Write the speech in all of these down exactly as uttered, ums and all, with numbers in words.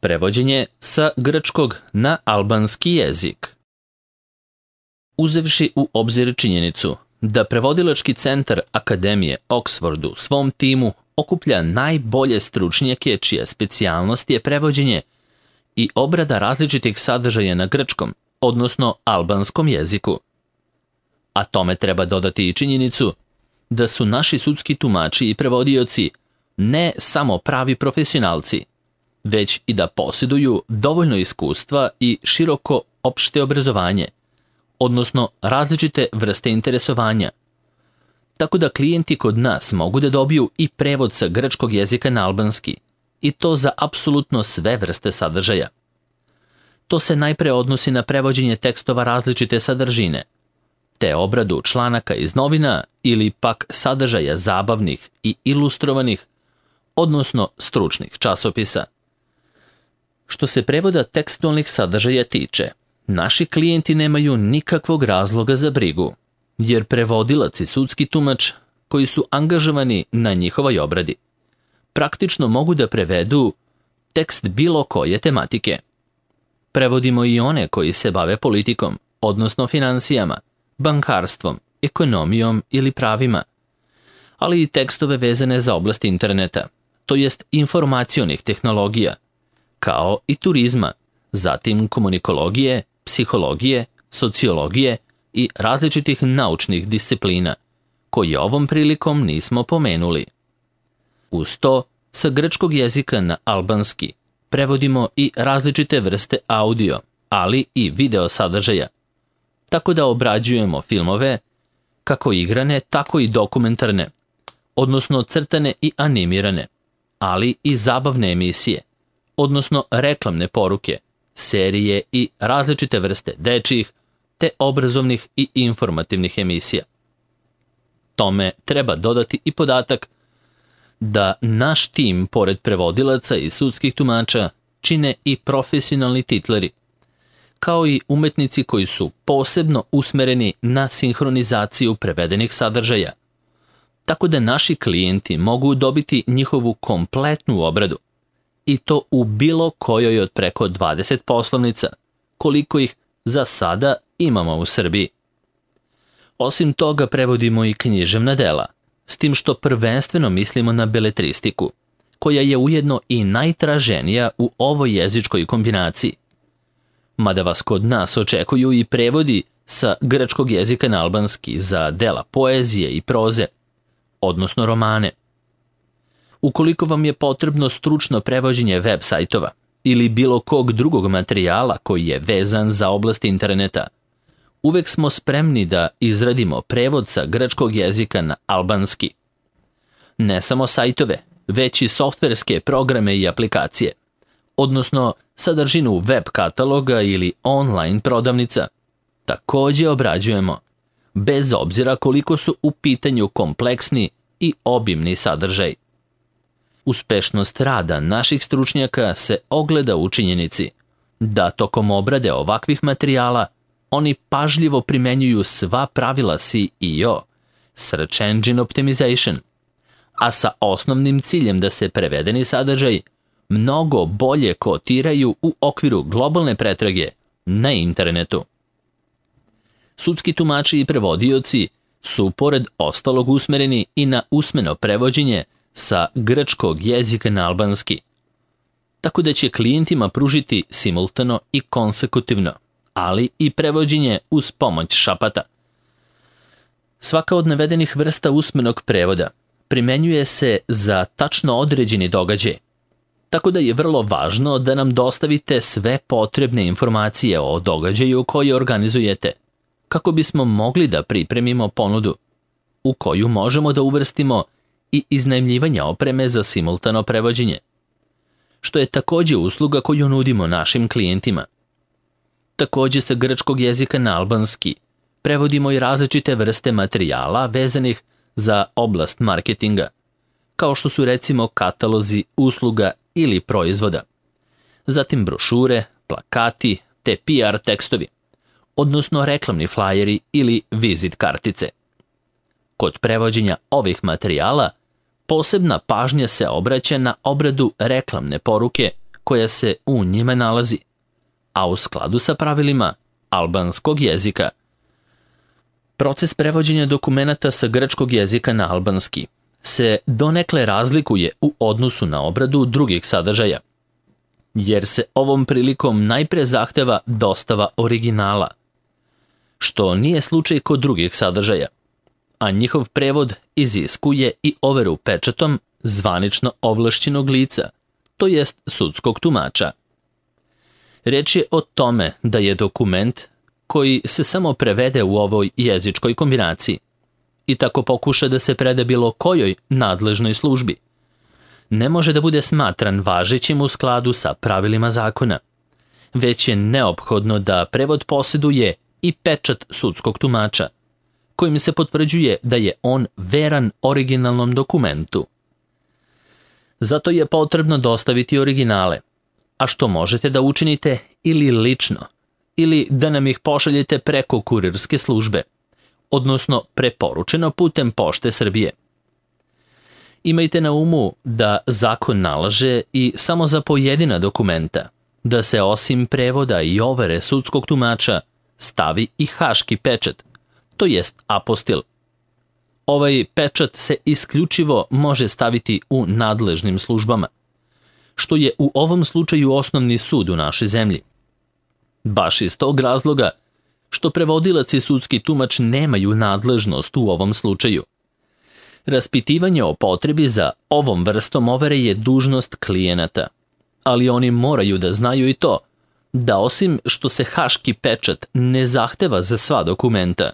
Prevođenje sa grčkog na albanski jezik. Uzevši u obzir činjenicu da prevodilački centar Akademije Oxford u svom timu okuplja najbolje stručnjake čija specijalnost je prevođenje i obrada različitih sadržaja na grčkom, odnosno albanskom jeziku. A tome treba dodati i činjenicu da su naši sudski tumači i prevodioci ne samo pravi profesionalci, već i da posjeduju dovoljno iskustva i široko opšte obrazovanje, odnosno različite vrste interesovanja. Tako da klijenti kod nas mogu da dobiju i prevod sa grčkog jezika na albanski, i to za apsolutno sve vrste sadržaja. To se najpre odnosi na prevođenje tekstova različite sadržine, te obradu članaka iz novina ili pak sadržaja zabavnih i ilustrovanih, odnosno stručnih časopisa. Što se prevoda tekstualnih sadržaja tiče, naši klijenti nemaju nikakvog razloga za brigu, jer prevodilac i sudski tumač koji su angažovani na njihovoj obradi praktično mogu da prevedu tekst bilo koje tematike. Prevodimo i one koji se bave politikom, odnosno finansijama, bankarstvom, ekonomijom ili pravima, ali i tekstove vezane za oblast interneta, to jest informacionih tehnologija, kao i turizma, zatim komunikologije, psihologije, sociologije i različitih naučnih disciplina, koje ovom prilikom nismo pomenuli. Uz to, sa grčkog jezika na albanski prevodimo i različite vrste audio, ali i video sadržaja, tako da obrađujemo filmove, kako igrane, tako i dokumentarne, odnosno crtane i animirane, ali i zabavne emisije, odnosno reklamne poruke, serije i različite vrste dečjih, te obrazovnih i informativnih emisija. Tome treba dodati i podatak da naš tim, pored prevodilaca i sudskih tumača, čine i profesionalni titleri, kao i umetnici koji su posebno usmereni na sinhronizaciju prevedenih sadržaja, tako da naši klijenti mogu dobiti njihovu kompletnu obradu, i to u bilo kojoj od preko dvadeset poslovnica, koliko ih za sada imamo u Srbiji. Osim toga prevodimo i književna dela, s tim što prvenstveno mislimo na beletristiku, koja je ujedno i najtraženija u ovoj jezičkoj kombinaciji. Mada vas kod nas očekuju i prevodi sa grčkog jezika na albanski za dela poezije i proze, odnosno romane. Ukoliko vam je potrebno stručno prevođenje web sajtova ili bilo kog drugog materijala koji je vezan za oblast interneta, uvek smo spremni da izradimo prevod sa grčkog jezika na albanski. Ne samo sajtove, već i softverske programe i aplikacije, odnosno sadržinu web kataloga ili online prodavnica, također obrađujemo, bez obzira koliko su u pitanju kompleksni i obimni sadržaj. Uspešnost rada naših stručnjaka se ogleda u činjenici da tokom obrade ovakvih materijala oni pažljivo primenjuju sva pravila S E O, Search Engine Optimization, a sa osnovnim ciljem da se prevedeni sadržaj mnogo bolje kotiraju u okviru globalne pretrage na internetu. Sudski tumači i prevodioci su pored ostalog usmereni i na usmeno prevođenje sa grčkog jezika na albanski, tako da će klijentima pružiti simultano i konsekutivno, ali i prevođenje uz pomoć šapata. Svaka od navedenih vrsta usmenog prevoda primenjuje se za tačno određeni događaj, tako da je vrlo važno da nam dostavite sve potrebne informacije o događaju koji organizujete, kako bismo mogli da pripremimo ponudu, u koju možemo da uvrstimo i iznajmljivanje opreme za simultano prevođenje, što je također usluga koju nudimo našim klijentima. Također sa grčkog jezika na albanski prevodimo i različite vrste materijala vezanih za oblast marketinga, kao što su recimo katalozi usluga ili proizvoda, zatim brošure, plakati te P R tekstovi, odnosno reklamni flajeri ili vizit kartice. Kod prevođenja ovih materijala posebna pažnja se obraća na obradu reklamne poruke koja se u njima nalazi, a u skladu sa pravilima albanskog jezika. Proces prevođenja dokumenata sa grčkog jezika na albanski se donekle razlikuje u odnosu na obradu drugih sadržaja, jer se ovom prilikom najpre zahteva dostava originala, što nije slučaj kod drugih sadržaja, a njihov prevod iziskuje i overu pečatom zvanično ovlašćenog lica, to jest sudskog tumača. Reč je o tome da je dokument koji se samo prevede u ovoj jezičkoj kombinaciji i tako pokuša da se preda bilo kojoj nadležnoj službi, ne može da bude smatran važećim u skladu sa pravilima zakona, već je neophodno da prevod posjeduje i pečat sudskog tumača, kojim se potvrđuje da je on veran originalnom dokumentu. Zato je potrebno dostaviti originale, a što možete da učinite ili lično, ili da nam ih pošaljete preko kurirske službe, odnosno preporučeno putem Pošte Srbije. Imajte na umu da zakon nalaže i samo za pojedina dokumenta da se osim prevoda i overe sudskog tumača stavi i haški pečat, to jest apostil. Ovaj pečat se isključivo može staviti u nadležnim službama, što je u ovom slučaju osnovni sud u našoj zemlji. Baš iz tog razloga što prevodilac i sudski tumač nemaju nadležnost u ovom slučaju. Raspitivanje o potrebi za ovom vrstom overe je dužnost klijenata, ali oni moraju da znaju i to, da osim što se haški pečat ne zahteva za sva dokumenta,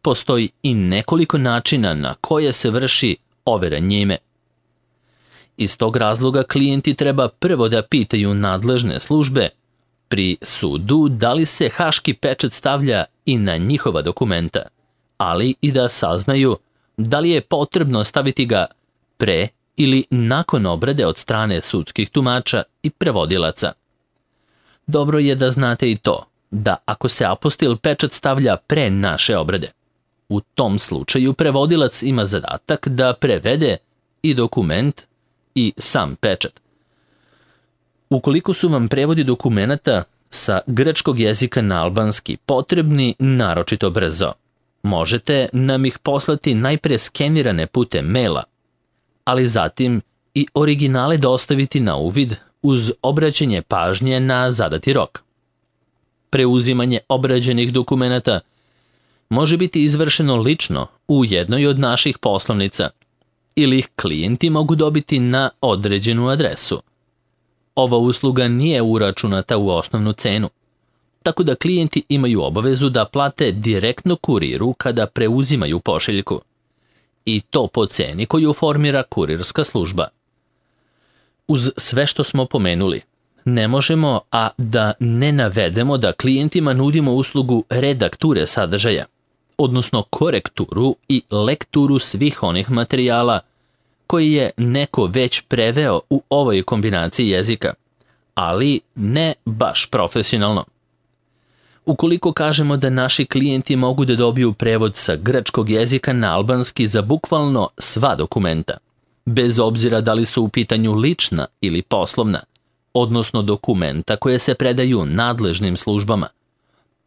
postoji i nekoliko načina na koje se vrši overa njime. Iz tog razloga klijenti treba prvo da pitaju nadležne službe pri sudu da li se haški pečat stavlja i na njihova dokumenta, ali i da saznaju da li je potrebno staviti ga pre ili nakon obrade od strane sudskih tumača i prevodilaca. Dobro je da znate i to, da ako se apostil pečat stavlja pre naše obrade, u tom slučaju prevodilac ima zadatak da prevede i dokument i sam pečat. Ukoliko su vam prevodi dokumenata sa grčkog jezika na albanski potrebni naročito brzo, možete nam ih poslati najpre skenirane putem maila, ali zatim i originale dostaviti na uvid uz obraćanje pažnje na zadati rok. Preuzimanje obrađenih dokumenata može biti izvršeno lično u jednoj od naših poslovnica ili ih klijenti mogu dobiti na određenu adresu. Ova usluga nije uračunata u osnovnu cenu, tako da klijenti imaju obavezu da plate direktno kuriru kada preuzimaju pošiljku, i to po ceni koju formira kurirska služba. Uz sve što smo pomenuli, ne možemo a da ne navedemo da klijentima nudimo uslugu redakture sadržaja, odnosno korekturu i lekturu svih onih materijala koji je neko već preveo u ovoj kombinaciji jezika, ali ne baš profesionalno. Ukoliko kažemo da naši klijenti mogu da dobiju prevod sa grčkog jezika na albanski za bukvalno sva dokumenta, bez obzira da li su u pitanju lična ili poslovna, odnosno dokumenta koje se predaju nadležnim službama,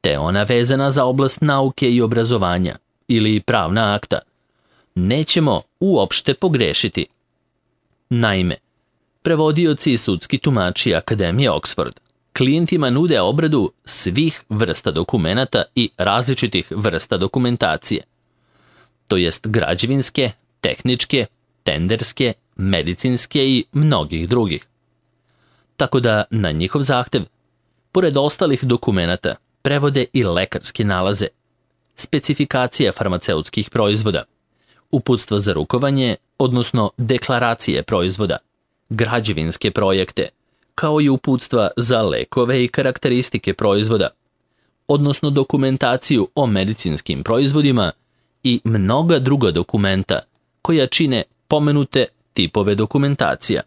te ona vezana za oblast nauke i obrazovanja ili pravna akta, nećemo uopšte pogrešiti. Naime, prevodioci i sudski tumači Akademije Oxford klijentima nude obradu svih vrsta dokumenata i različitih vrsta dokumentacije, to jest građevinske, tehničke, tenderske, medicinske i mnogih drugih. Tako da na njihov zahtev, pored ostalih dokumenata, prevode i lekarske nalaze, specifikacije farmaceutskih proizvoda, uputstva za rukovanje, odnosno deklaracije proizvoda, građevinske projekte, kao i uputstva za lekove i karakteristike proizvoda, odnosno dokumentaciju o medicinskim proizvodima i mnoga druga dokumenta koja čine pomenute tipove dokumentacija.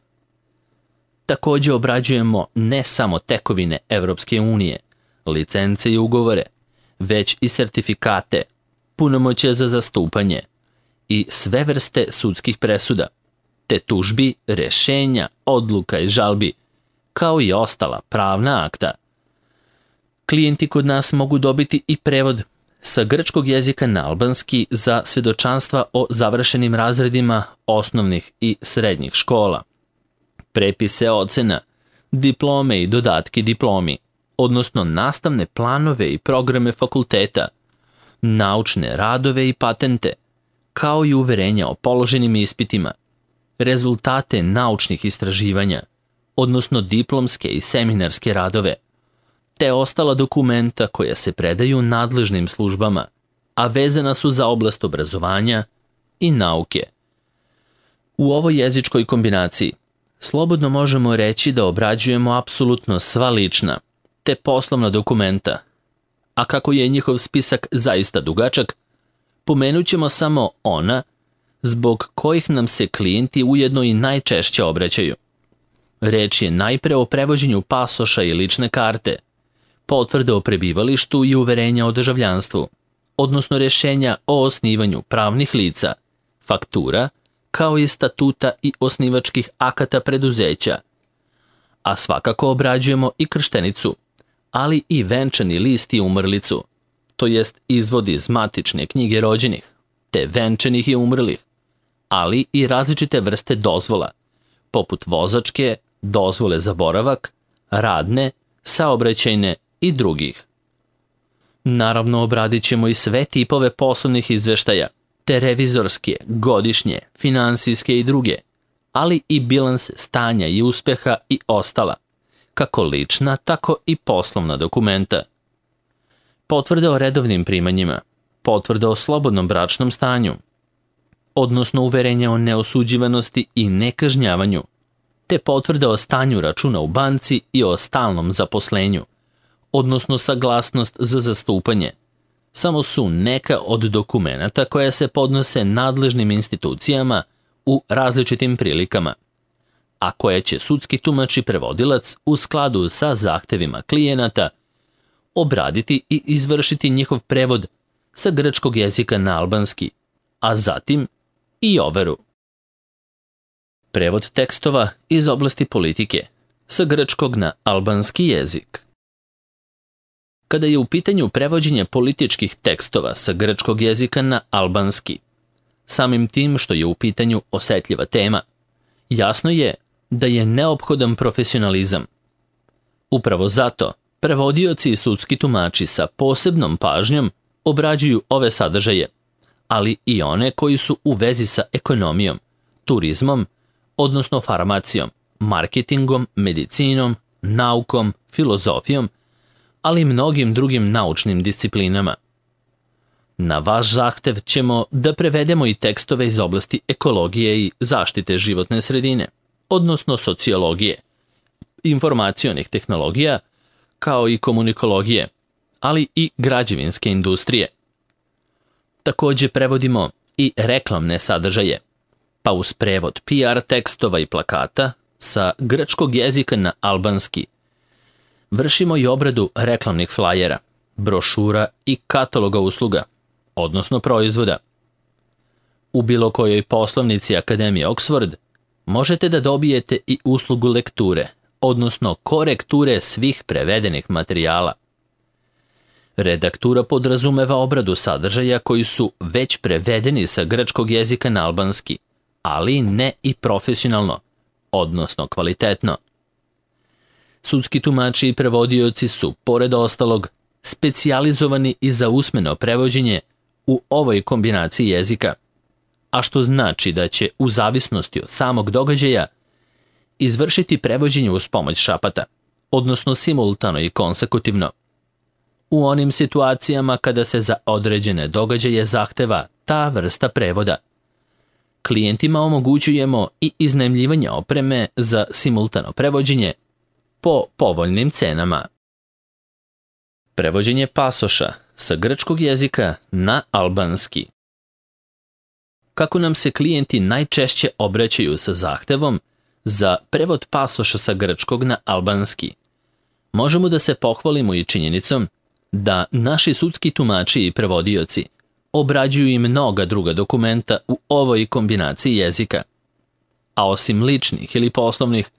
Također obrađujemo ne samo tekovine Evropske unije, licence i ugovore, već i sertifikate, punomoćje za zastupanje i sve vrste sudskih presuda, te tužbi, rešenja, odluka i žalbi, kao i ostala pravna akta. Klijenti kod nas mogu dobiti i prevod sa grčkog jezika na albanski za svjedočanstva o završenim razredima osnovnih i srednjih škola, prepise ocena, diplome i dodatke diplomi, odnosno nastavne planove i programe fakulteta, naučne radove i patente, kao i uverenja o položenim ispitima, rezultate naučnih istraživanja, odnosno diplomske i seminarske radove, te ostala dokumenta koja se predaju nadležnim službama, a vezana su za oblast obrazovanja i nauke. U ovoj jezičkoj kombinaciji slobodno možemo reći da obrađujemo apsolutno sva lična te poslovna dokumenta, a kako je njihov spisak zaista dugačak, pomenut ćemo samo ona zbog kojih nam se klijenti ujedno i najčešće obraćaju. Reč je najpre o prevođenju pasoša i lične karte, potvrde o prebivalištu i uverenja o državljanstvu, odnosno rješenja o osnivanju pravnih lica, faktura, kao i statuta i osnivačkih akata preduzeća. A svakako obrađujemo i krštenicu, ali i venčani list i umrlicu, to jest izvod iz matične knjige rođenih, te venčanih i umrlih, ali i različite vrste dozvola, poput vozačke, dozvole za boravak, radne, saobraćajne i drugih. Naravno, obradit ćemo i sve tipove poslovnih izveštaja, te revizorske, godišnje, finansijske i druge, ali i bilans stanja i uspeha i ostala, kako lična, tako i poslovna dokumenta. Potvrde o redovnim primanjima, potvrde o slobodnom bračnom stanju, odnosno uverenje o neosuđivanosti i nekažnjavanju, te potvrde o stanju računa u banci i o stalnom zaposlenju, odnosno saglasnost za zastupanje, samo su neka od dokumenata koja se podnose nadležnim institucijama u različitim prilikama, a koje će sudski tumač i prevodilac u skladu sa zahtevima klijenata obraditi i izvršiti njihov prevod sa grčkog jezika na albanski, a zatim i overu. Prevod tekstova iz oblasti politike sa grčkog na albanski jezik. Kada je u pitanju prevođenje političkih tekstova sa grčkog jezika na albanski, samim tim što je u pitanju osetljiva tema, jasno je da je neophodan profesionalizam. Upravo zato prevodioci i sudski tumači sa posebnom pažnjom obrađuju ove sadržaje, ali i one koji su u vezi sa ekonomijom, turizmom, odnosno farmacijom, marketingom, medicinom, naukom, filozofijom, ali i mnogim drugim naučnim disciplinama. Na vaš zahtev ćemo da prevedemo i tekstove iz oblasti ekologije i zaštite životne sredine, odnosno sociologije, informacionih tehnologija, kao i komunikologije, ali i građevinske industrije. Također prevodimo i reklamne sadržaje, pa uz prevod P R tekstova i plakata sa grčkog jezika na albanski vršimo i obradu reklamnih flajera, brošura i kataloga usluga, odnosno proizvoda. U bilo kojoj poslovnici Akademije Oxford možete da dobijete i uslugu lekture, odnosno korekture svih prevedenih materijala. Redaktura podrazumeva obradu sadržaja koji su već prevedeni sa grčkog jezika na albanski, ali ne i profesionalno, odnosno kvalitetno. Sudski tumači i prevodioci su, pored ostalog, specijalizovani i za usmeno prevođenje u ovoj kombinaciji jezika, a što znači da će, u zavisnosti od samog događaja, izvršiti prevođenje uz pomoć šapata, odnosno simultano i konsekutivno. U onim situacijama kada se za određene događaje zahteva ta vrsta prevoda, klijentima omogućujemo i iznajmljivanje opreme za simultano prevođenje po povoljnim cenama. Prevođenje pasoša sa grčkog jezika na albanski. Kako nam se klijenti najčešće obraćaju sa zahtevom za prevod pasoša sa grčkog na albanski, možemo da se pohvalimo i činjenicom da naši sudski tumači i prevodioci obrađuju i mnoga druga dokumenta u ovoj kombinaciji jezika, a osim ličnih ili poslovnih,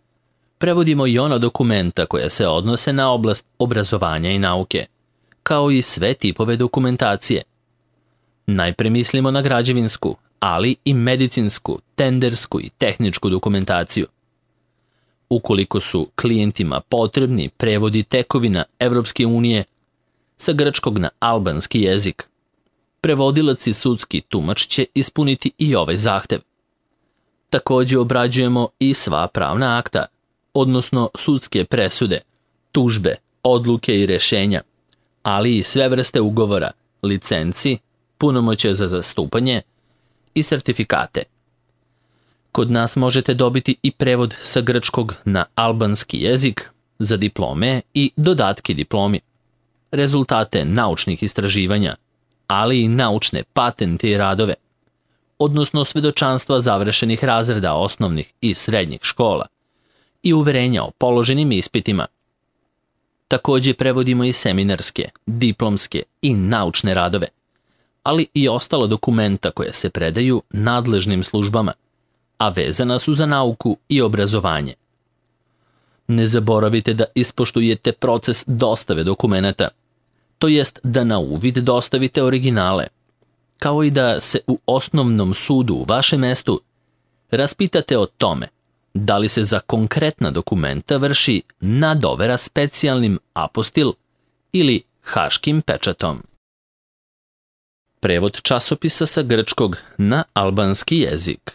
prevodimo i ona dokumenta koja se odnose na oblast obrazovanja i nauke, kao i sve tipove dokumentacije. Najpre mislimo na građevinsku, ali i medicinsku, tendersku i tehničku dokumentaciju. Ukoliko su klijentima potrebni prevodi tekovina Evropske unije sa grčkog na albanski jezik, prevodilac i sudski tumač će ispuniti i ovaj zahtev. Također obrađujemo i sva pravna akta, odnosno sudske presude, tužbe, odluke i rješenja, ali i sve vrste ugovora, licenci, punomoćje za zastupanje i sertifikate. Kod nas možete dobiti i prevod sa grčkog na albanski jezik za diplome i dodatke diplomi, rezultate naučnih istraživanja, ali i naučne patente i radove, odnosno svedočanstva završenih razreda osnovnih i srednjih škola i uverenja o položenim ispitima. Također prevodimo i seminarske, diplomske i naučne radove, ali i ostala dokumenta koja se predaju nadležnim službama, a vezana su za nauku i obrazovanje. Ne zaboravite da ispoštujete proces dostave dokumenata, to jest da na uvid dostavite originale, kao i da se u osnovnom sudu u vašem mestu raspitate o tome da li se za konkretna dokumenta vrši nadovera specijalnim apostil ili haškim pečatom. Prevod časopisa sa grčkog na albanski jezik.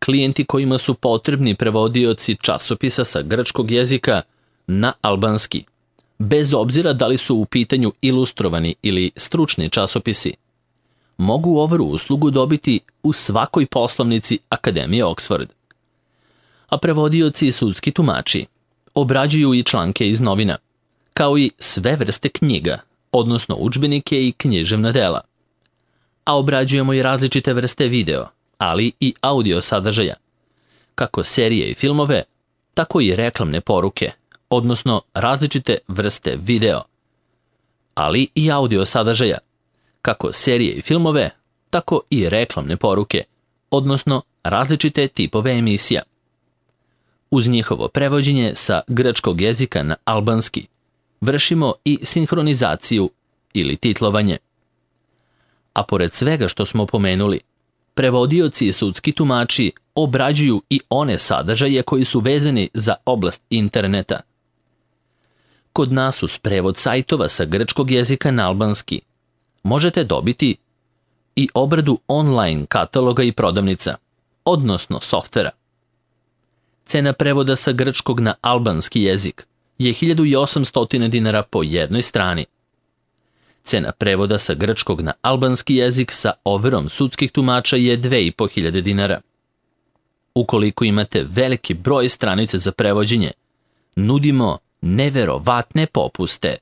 Klijenti kojima su potrebni prevodioci časopisa sa grčkog jezika na albanski, bez obzira da li su u pitanju ilustrovani ili stručni časopisi, mogu ovu uslugu dobiti u svakoj poslovnici Akademije Oxford. A prevodioci i sudski tumači obrađuju i članke iz novina, kao i sve vrste knjiga, odnosno udžbenike i književna dela. A obrađujemo i različite vrste video, ali i audio sadržaja, kako serije i filmove, tako i reklamne poruke, odnosno različite vrste video, ali i audio sadržaja, kako serije i filmove, tako i reklamne poruke, odnosno različite tipove emisija. Uz njihovo prevođenje sa grčkog jezika na albanski vršimo i sinhronizaciju ili titlovanje. A pored svega što smo pomenuli, prevodioci i sudski tumači obrađuju i one sadržaje koji su vezani za oblast interneta. Kod nas uz prevod sajtova sa grčkog jezika na albanski možete dobiti i obradu online kataloga i prodavnica, odnosno softvera. Cena prevoda sa grčkog na albanski jezik je hiljadu osamsto dinara po jednoj strani. Cena prevoda sa grčkog na albanski jezik sa overom sudskih tumača je dve i po hiljade dinara. Ukoliko imate veliki broj stranica za prevođenje, nudimo neverovatne popuste.